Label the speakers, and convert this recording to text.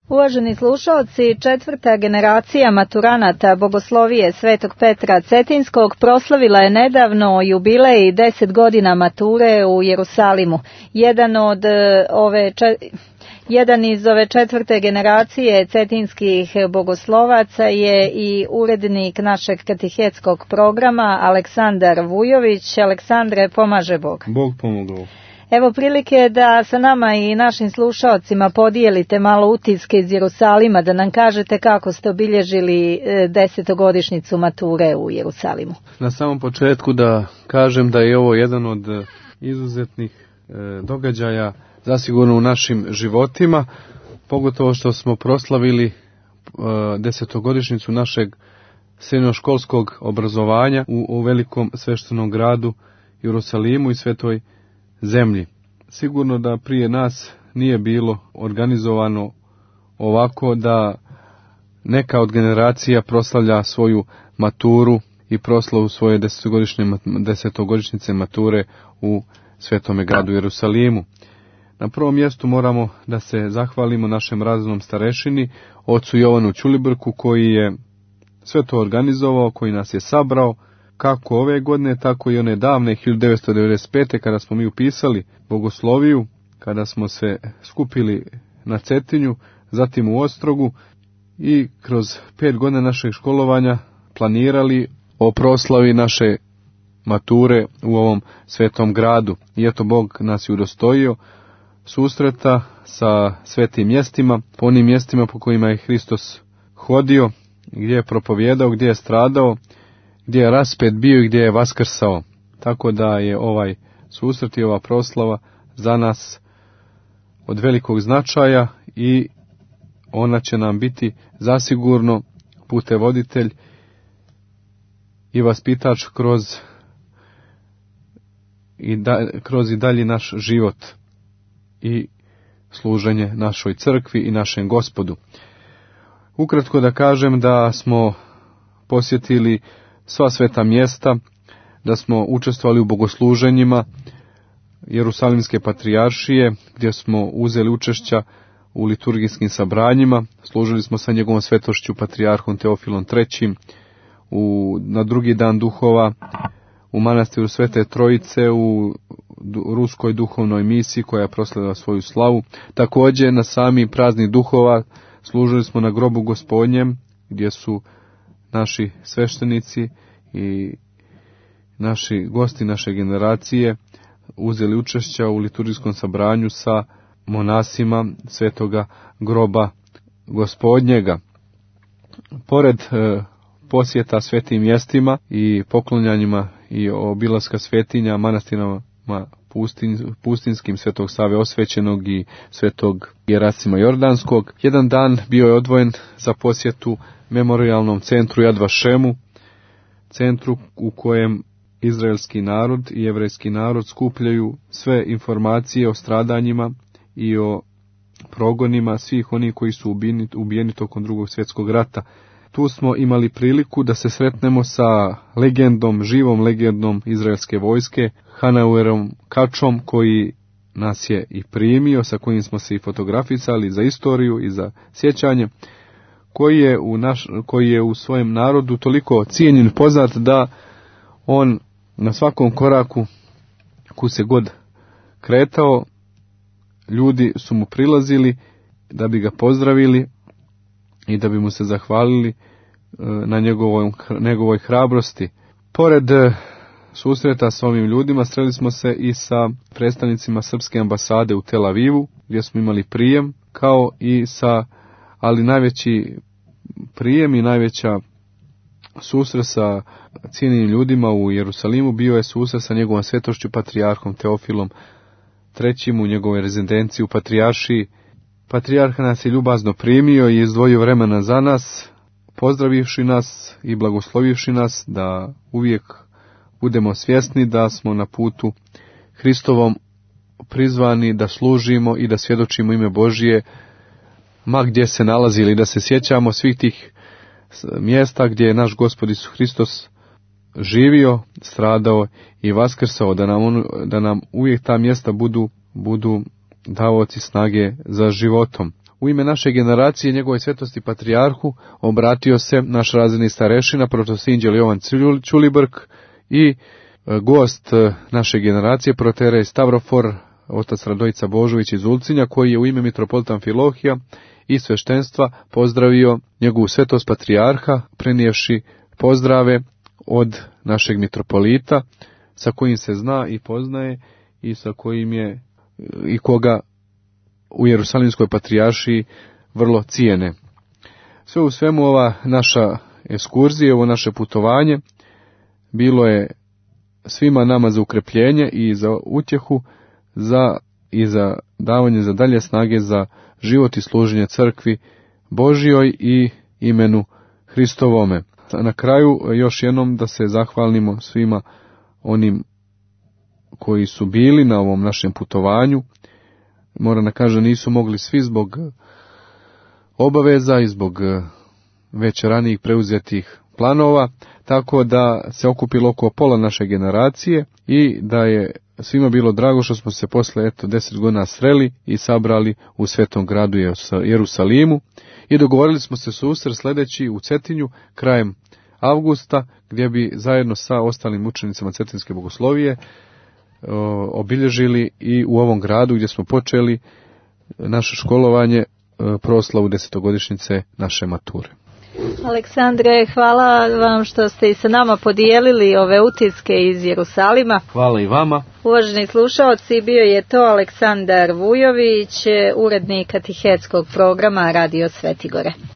Speaker 1: Uvaženi slušalci, 4. generacija maturanata Bogoslovije Svetog Petra Cetinskog proslavila je nedavno jubilej 10 godina mature u Jerusalimu. Jedan iz ove 4. generacije cetinskih bogoslovaca je i urednik našeg katehetskog programa Aleksandar Vujović. Aleksandre, pomaže Bog.
Speaker 2: Bog pomogao.
Speaker 1: Evo prilike da sa nama i našim slušaocima podijelite malo utiske iz Jerusalima, da nam kažete kako ste obilježili 10-godišnjicu mature u Jerusalimu.
Speaker 2: Na samom početku da kažem da je ovo jedan od izuzetnih događaja zasigurno u našim životima, pogotovo što smo proslavili 10-godišnjicu našeg srednjoškolskog obrazovanja u velikom sveštenom gradu Jerusalimu i Svetoj zemlji. Sigurno da prije nas nije bilo organizovano ovako da neka od generacija proslavlja svoju maturu i proslavu svoje 10-godišnjice mature u Svetome gradu Jerusalimu. Na prvom mjestu moramo da se zahvalimo našem razrednom starešini, ocu Jovanu Ćulibrku, koji je sve to organizovao, koji nas je sabrao, kako ove godine, tako i one davne 1995. kada smo mi upisali bogosloviju, kada smo se skupili na Cetinju, zatim u Ostrogu i kroz 5 godina našeg školovanja planirali o proslavi naše mature u ovom svetom gradu. I eto, Bog nas je udostojio susreta sa svetim mjestima, po onim mjestima po kojima je Hristos hodio, gdje je propovijedao, gdje je stradao, gdje je raspet bio i gdje je vaskrsao. Tako da je ovaj susret i ova proslava za nas od velikog značaja i ona će nam biti zasigurno putevoditelj i vaspitač kroz i dalji naš život i služenje našoj crkvi i našem Gospodu. Ukratko da kažem da smo posjetili sva sveta mjesta, da smo učestvovali u bogosluženjima Jerusalimske patrijaršije, gdje smo uzeli učešća u liturgijskim sabranjima, služili smo sa njegovom svetošću patrijarhom Teofilom III. Na drugi dan duhova u manastiru Svete Trojice u ruskoj duhovnoj misiji koja je proslavila svoju slavu. Također na sami praznik duhova služili smo na grobu Gospodnjem, gdje su naši sveštenici i naši gosti naše generacije uzeli učešća u liturgijskom sabranju sa monasima Svetoga groba Gospodnjega. Pored posjeta svetim mjestima i poklonjanjima i obilaska svetinja manastirama pustinskim Svetog Save Osvećenog i Svetog Gerasima Jordanskog, jedan dan bio je odvojen za posjetu memorijalnom centru Yad Vašemu, centru u kojem izraelski narod i jevrejski narod skupljaju sve informacije o stradanjima i o progonima svih onih koji su ubijeni tokom Drugog svjetskog rata. Tu smo imali priliku da se sretnemo sa živom legendom izraelske vojske, Hanauerom Kačom, koji nas je i primio, sa kojim smo se i fotografisali za istoriju i za sjećanje, koji je u svojem narodu toliko cijenjen i poznat da on na svakom koraku ku se god kretao, ljudi su mu prilazili da bi ga pozdravili i da bi mu se zahvalili na njegovoj hrabrosti. Pored susreta s ovim ljudima sreli smo se i sa predstavnicima Srpske ambasade u Tel Avivu, gdje smo imali prijem, ali najveći prijem i najveća susret sa cijenjenim ljudima u Jerusalimu bio je susret sa njegovom svetošću patrijarhom Teofilom III. U njegovoj rezidenciji u patrijaršiji. Patrijarh nas je ljubazno primio i izdvojio vremena za nas, pozdravivši nas i blagoslovivši nas da uvijek budemo svjesni da smo na putu Hristovom prizvani da služimo i da svjedočimo ime Božije, ma gdje se nalazili, da se sjećamo svih tih mjesta gdje je naš Gospod Isus Hristos živio, stradao i vaskrsao, da nam uvijek ta mjesta budu davaoci snage za životom. u ime naše generacije njegove svetosti patrijarhu obratio se naš razredni starešina, protosinđel Jovan Ćulibrk i gost naše generacije, proterej Stavrofor, otac Radojica Božović iz Ulcinja, koji je u ime mitropolita Amfilohija i sveštenstva pozdravio njegovu svetost patrijarha, prenijevši pozdrave od našeg mitropolita, sa kojim se zna i poznaje i sa kojim je i koga u Jerusalimskoj patrijaršiji vrlo cijene. Sve u svemu ova naša ekskurzija, ovo naše putovanje bilo je svima nama za ukrepljenje i za utjehu i za davanje za dalje snage za život i služenje crkvi Božjoj i imenu Hristovome. Na kraju još jednom da se zahvalimo svima onim koji su bili na ovom našem putovanju. Moram da kažem, nisu mogli svi zbog obaveza i zbog već ranijih preuzetih planova, tako da se okupilo oko pola naše generacije i da je svima bilo drago što smo se posle 10 godina sreli i sabrali u svetom gradu Jerusalimu i dogovorili smo se susret sledeći u Cetinju krajem avgusta, gdje bi zajedno sa ostalim učenicama Cetinske bogoslovije obilježili i u ovom gradu gdje smo počeli naše školovanje proslavu 10-godišnjice naše mature.
Speaker 1: Aleksandre, hvala vam što ste i sa nama podijelili ove utiske iz Jerusalima.
Speaker 2: Hvala i vama.
Speaker 1: Uvaženi slušaoci, bio je to Aleksandar Vujović, urednik katehetskog programa Radio Svetigore.